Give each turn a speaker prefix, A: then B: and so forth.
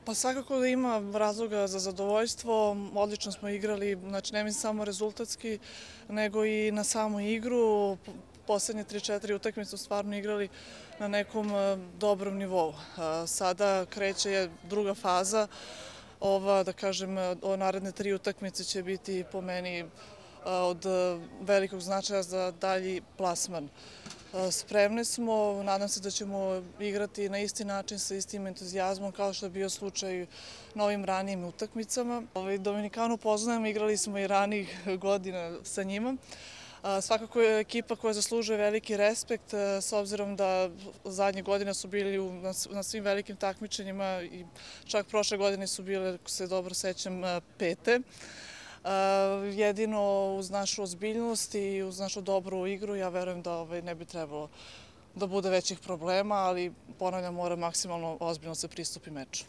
A: Pa svakako da ima razloga za zadovoljstvo, odlično smo igrali, znači ne mislim samo rezultatski, nego i na samu igru. Poslednje 3-4 utakmice su stvarno igrali na nekom dobrom nivou. Sada kreće druga faza, da kažem, naredne 3 utakmice će biti po meni od velikog značaja za dalji plasman. Spremni smo, nadam se da ćemo igrati na isti način, sa istim entuzijazmom kao što je bio slučaj na ovim ranijim utakmicama. Dominikanu poznajem, igrali smo i ranijih godina sa njima. Svakako je ekipa koja zaslužuje veliki respekt, s obzirom da zadnje godine su bili na svim velikim takmičenjima i čak prošle godine su bile, ako se dobro sećam, 5. Jedino uz našu ozbiljnost i uz našu dobru igru, ja verujem da ne bi trebalo da bude većih problema, ali ponavljam, mora maksimalno ozbiljno se pristupi meču.